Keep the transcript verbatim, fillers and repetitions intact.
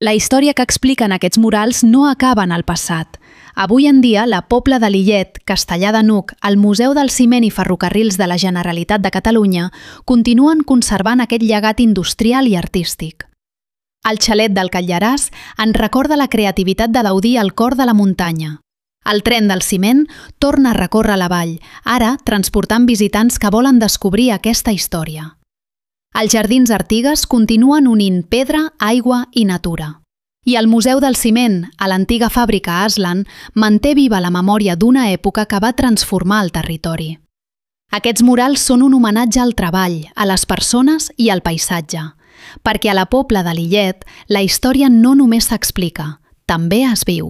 La història que expliquen aquests murals no acaba en el passat. Avui en dia, la Pobla de Lillet, Castellar de n'Hug, el Museu del Ciment i Ferrocarrils de la Generalitat de Catalunya continuen conservant aquest llegat industrial i artístic. El xalet del Catllaràs ens recorda la creativitat de Gaudí al cor de la muntanya. El tren del ciment torna a recórrer la vall, ara transportant visitants que volen descobrir aquesta història. Els Jardins Artigues continuen unint pedra, aigua i natura. I el Museu del Ciment, a l'antiga fàbrica Aslan, manté viva la memòria d'una època que va transformar el territori. Aquests murals són un homenatge al treball, a les persones i al paisatge, perquè a la Pobla de Lillet la història no només s'explica, també es viu.